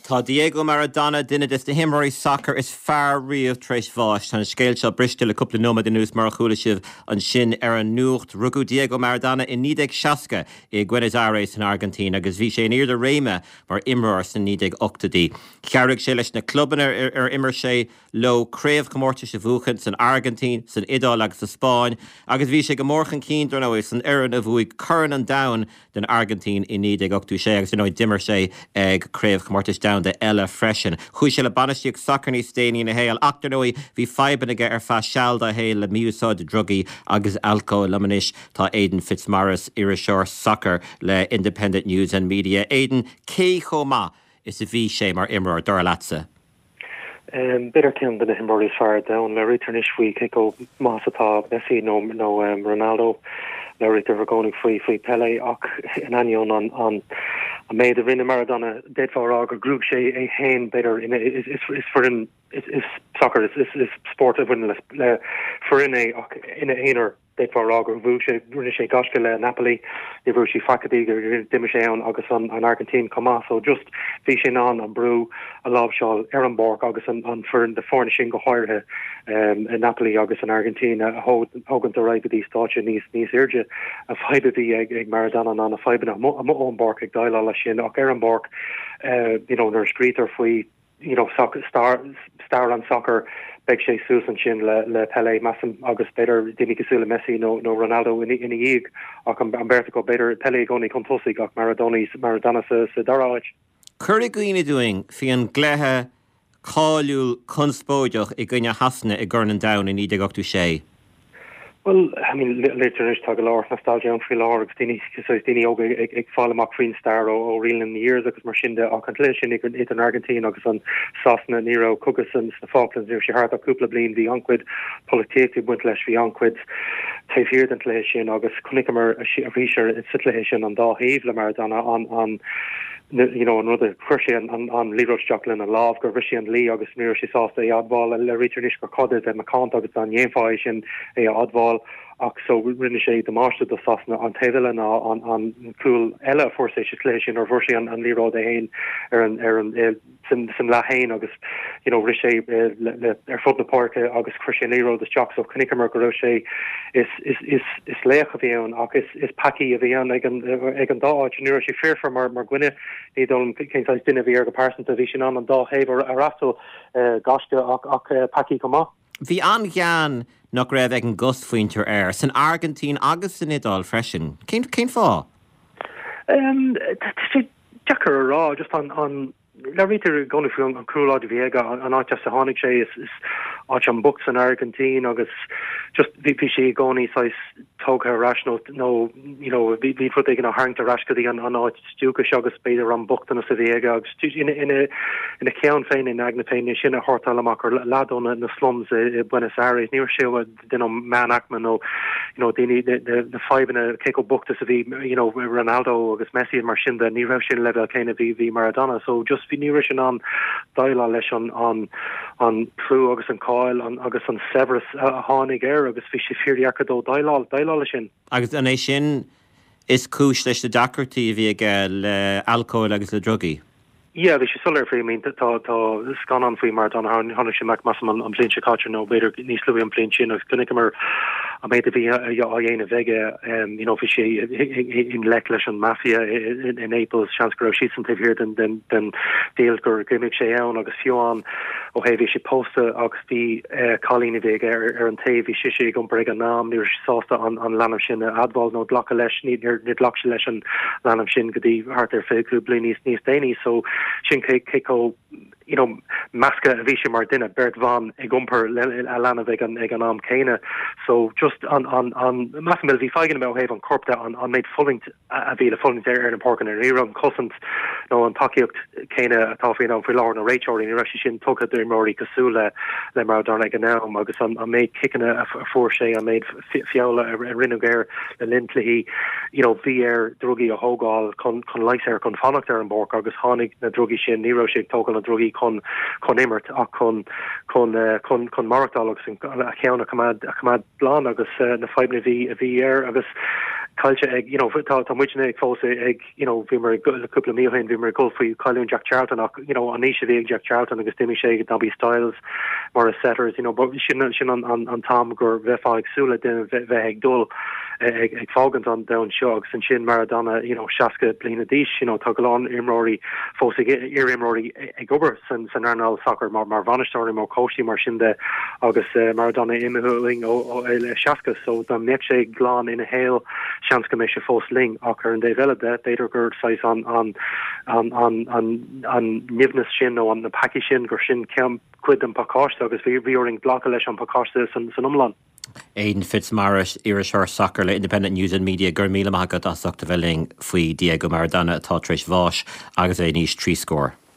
Tá Diego Maradona, duine des na himreoirí sacair is fearr riamh, tar éis bháis. Tá an scéal seo briste le cúpla nóiméad anuas mar a chuala sibh ansin ar an nuacht. Rugadh Diego Maradona i 1960 i Buenos Aires san Airgintín agus bhí sé in ard a réime mar imreoir sna 1980idí. Chabhraigh sé leis na clubanna ar imir sé leo craobhchomórtais a bhuachan san Airgintín, san Iodáil agus sa Spáinn agus bhí sé go mór chun cinn, dar ndóigh, san fhoireann a bhuaigh Corn an Domhain don Airgintín i 1986 agus, dar ndóigh, d'imir sé ag craobhchomórtais domhanda eile freisin. Chuaigh sé le bainistíocht sacair níos déanaí ina shaol ach, dar ndóigh, bhí fadhbanna aige ar feadh seal dá shaol le mí-úsáid drugaí agus alcóil. Liom anois tá Aidan Fitzmaurice, iriseoir sacair le Independent News and Media. Aidan, cé chomh maith is a bhí sé mar imreoir, dar leatsa? B'fhéidir ceann de na himreoirí is fearr ar domhan. Labhraítear anois faoi cé chomh maith is atá Messi nó nó Ronaldo. Labhraítear i gcónaí faoi faoi Pelé ach in ainneoin an an an méid a rinne Maradona d'fhéadfá a rá gur ghnóthaigh sé é féin b'fhéidir ina is is is foireann is is sacar is is is spórt a bhaineann le le foireann é ach ina aonar. D'fhéadfá a rá gur bhuaigh sé, rinne sé gaisce le Napoli, níor bhuaigh sé faic go dtí gur d'imigh sé ann agus an Airgintín chomh maith. So just bhí sé in ann an brú a láimhseáil ar an bpáirc agus an foireann, na foirne sin go háirithe i Napoli agus an Airgintín a thógaint ar aghaidh go dtí stáitse níos níos airde. An fadhb a bhí ag ag Maradona ná na fadhbanna amuigh amuigh ón bpáirc ag déileáil leis sin ach ar an bpáirc you know nuair a scrítear faoi you know, stair, stair an tsacair, beidh sé suas ansin le, le Pelé, measaim, agus b'fhéidir daoine cosúil le Messi nó, nó Ronaldo ina, ina dhiaidh, ach an, an bheirt acu, b'fhéidir Pelé i gcónaí chun tosaigh ach Maradona, Maradona sa, sa dara háit. Cuir i gcuimhne dúinn faoi an gcluiche cáiliúil conspóideach i gcoinne Shasana i gCorn an Domhain i 1986. Bhuel, I mean, léirítear anois, tá go leor nostalgia ann faoi láthair agus daoine, saghas daoine óga ag, ag fáil amach faoin stair ó, ó Reeling in the Years agus mar sin de, ach an cluiche sin idir, idir an Airgintín agus an Sasana, ní raibh cogadh san, sna Falklands, ní raibh sé thart ach cúpla bliain, bhí an-chuid polaitíochta ag baint leis, bhí an-chuid taobh thiar den chluiche sin agus chonaiceamar arís ar, sa chluiche sin an dá thaobh le Maradona, an, an, you know, an rud a chuir sé an, an, an liathróid isteach lena lámh, gur bhris sé an dlí agus ní raibh sé sásta é a admháil. Léirítear anois gur chóir a bheith macánta agus dá ndéanfá é sin é a admháil ach so rinne sé damáiste do Sasana. An taobh eile ná an, an cúl eile a fuair sé sa chluiche sin nuair a fuair sé an, an liathróid é féin ar an, ar an, eh, san, san leath féin agus you know, rith sé eh, le, le, ar fud na páirce agus chuir sé an liathróid isteach so chonaiceamar go raibh sé is, is, is, is laoch a bhí ann ach is, is peacaí a bhí ann ag an, ag an dá áit. Ní raibh sé foirfe mar, mar dhuine, ní dóigh liom cén saghas duine a bhí air go pearsanta, bhí sé in ann an dá thaobh a fhreastal, gaisce ach, ach peacaí chomh maith. Bhí an-ghean nach raibh ag an gcosmhuintir air, san Airgintín agus san Iodáil freisin. Cén, cén fáth? Tá sé deacair a rá, just an, an, Labhraítear i gcónaí faoi an chúlráid a bhí aige, an áit as a tháinig sé, is áit an-bhocht san Airgintín agus just bhí bhí sé i gcónaí saghas tógtha ar ais nó nó you know bhí bhí rud éigin á tharraingt ar ais go dtí an an áit dúchais agus b'fhéidir an bochtanas a bhí aige agus ina ina ina cheann féin, ina aigne féin, é sin a shórtáil amach gur leaid ó na na slums i i Buenos Aires, ní raibh sé duine ón meánaicme nó you know daoine na fadhbanna cé chomh bocht is a bhí you know Ronaldo agus Messi mar sin de ní raibh sé an leibhéal céanna bhí bhí Maradona so just bhí ní raibh sé in ann déileáil leis an an an clú agus an cáil an agus an saibhreas a tháinig air agus bhí sé fíordheacair dó déileáil déileáil leis sin. Agus an é sin is cúis leis na deacrachtaí a bhí aige le alcól agus le drugaí? Yeah, bhí sé soiléir faoi, I mean, tá tá scannán faoi Maradona, tháinig sé amach measaim an bhliain seo caite nó b'fhéidir níos luaithe an bhliain sin agus chonaiceamar an méid a bhí á dhéanamh aige, you know, bhí sé i ngleic leis an mafia i Naples, seans go raibh siadsan taobh thiar den den den deal gur imigh sé ann agus fiú amháin ó thaobh bhí sé pósta agus Bhí cailín a bhí aige ar an taobh, bhí sise ag iompar ag an am, ní raibh sé sásta an leanbh sin a admháil nó glacadh leis, níor ghlac sé leis an leanbh sin go dtí thart ar 25 bliain níos níos déanaí. So sin cé cé chomh you know measctha a bhí sé mar duine, beirt bhan ag iompar a leanbh ag an ag an am céanna. So just an an an measaim bhí fadhbanna ó thaobh an choirp de, an an méid fulaingt a bhí le fulaingt ar na páirceanna. Ní raibh an chosaint nó an tacaíocht chéanna atá faoin am faoi láthair na réiteoirí, ní raibh sé sin tugtha d'imreoirí cosúil le le Maradona ag an am agus an méid ciceanna a fuair sé, an méid feola a rinneadh air le linn cluichí, you know, bhí air drugaí a thógáil chun chun leigheas air chun fanacht ar an bpáirc agus tháinig na drugaí sin, ní raibh sé ag tógáil na drugaí chun chun imirt ach chun chun chun chun maireachtáil agus a cheann a choimeád a choimeád glan agus na fadhbanna a bhí a bhí air agus. Caillte ag, you know, tá tá muidne ag fós ag, you know, bhíomar ag le cúpla mí ó shin, bhíomar ag gol faoi chailliúint Jack Charlton ach, you know, an aois a bhí ag Jack Charlton agus d'imigh sé ag Nobby Stiles, Maurice Setters, you know, but sin sin an an an t-am gur bheifeá ag súil le duine bheith bheith ag dul ag ag fágaint an domhan seo agus ansin Maradona, you know, 60 bliana d'aois, you know, tá go leor imreoirí fós ag iar-imreoirí ag obair san san earnáil sacair mar mar bhainisteoirí mar cóistí mar sin de agus Maradona imithe uainn ó ó le 60 so dá mbeadh sé glan ina shaol seans go mbeadh sé fós linn ach ar an dtaobh eile de b'fhéidir gur saghas an an an an an an nimhneas sin nó an na peacaí sin gur sin ceann cuid den phacáiste agus bhí bhí orainn glacadh leis an phacáiste san san iomlán. Aidan Fitzmaurice, iriseoir sacair le Independent News and Media, go raibh míle maith agat as ucht a bheith linn faoi Diego Maradona atá tar éis bháis agus é in aois 70.